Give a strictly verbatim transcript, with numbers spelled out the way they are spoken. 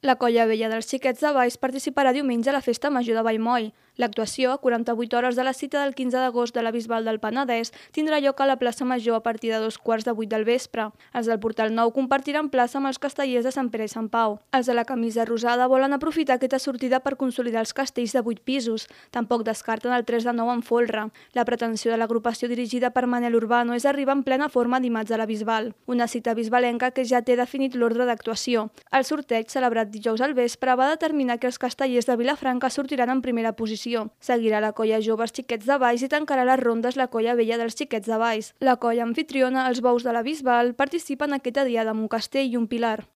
La Colla Vella dels Xiquets de Valls participarà diumenge a la Festa Major de Vallmoll. L'actuació, a quaranta-vuit hores de la cita del quinze d'agost de la Bisbal del Penedès, tindrà lloc a la plaça Major a partir de dos quarts de vuit del vespre. Els del Portal Nou compartiran plaça amb els castellers de Sant Pere i Sant Pau. Els de la camisa rosada volen aprofitar aquesta sortida per consolidar els castells de vuit pisos. Tampoc descarten el tres de nou en folre. La pretensió de l'agrupació dirigida per Manel Urbano és arribar en plena forma dimarts a la Bisbal, una cita bisbalenca que ja té definit l'ordre d'actuació. El sorteig, celebrat dijous al vespre, va determinar que els castellers de Vilafranca sortiran en primera posició. Seguirà la Colla Joves Xiquets de Valls i tancarà les rondes la Colla Vella dels Xiquets de Valls. La colla amfitriona, els bous de la Bisbal, participen aquesta diada amb un castell i un pilar.